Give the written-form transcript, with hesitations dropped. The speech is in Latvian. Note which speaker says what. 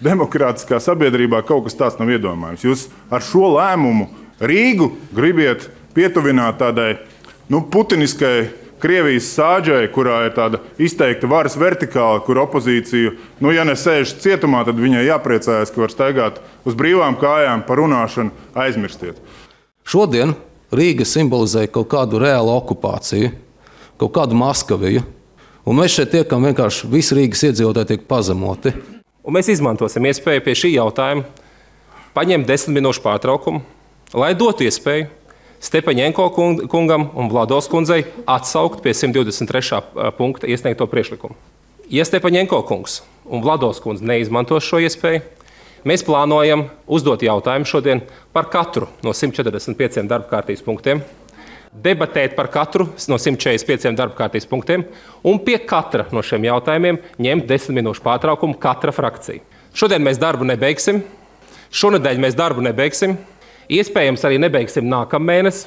Speaker 1: demokrātiskā sabiedrībā kaut kas tāds nav iedomājams. Jūs ar šo lēmumu Rīgu gribiet pietuvināt tādai putiniskai Krievijas sāģai, kurā ir tāda izteikta varas vertikāla, kur opozīciju, ja nesēž cietumā, tad viņai jāpriecājas, ka var staigāt uz brīvām kājām par runāšanu, aizmirstiet.
Speaker 2: Šodien Rīga simbolizē kaut kādu reālu okupāciju, kaut kādu Maskaviju, un mēs šeit tiekam vienkārši visi Rīgas iedzīvotāji tiek pazemoti.
Speaker 3: Un mēs izmantosim iespēju pie šī jautājuma paņemt 10 minūšu pārtraukumu, lai dotu iespēju Stepaņenko kungam un Vladovs kundzei atsaukt pie 123. punkta iesniegto priekšlikumu. Ja Stepaņenko kungs un Vladovs kundze neizmantos šo iespēju, mēs plānojam uzdot jautājumu šodien par katru no 145 darba kārtības punktiem, debatēt par katru no 145 darba kārtības punktiem un pie katra no šiem jautājumiem ņemt 10 minūšu pārtraukumu katra frakcija. Šodien mēs darbu nebeigsim, šonedēļ mēs darbu nebeigsim. Iespējams, arī nebeigsim nākamēnes.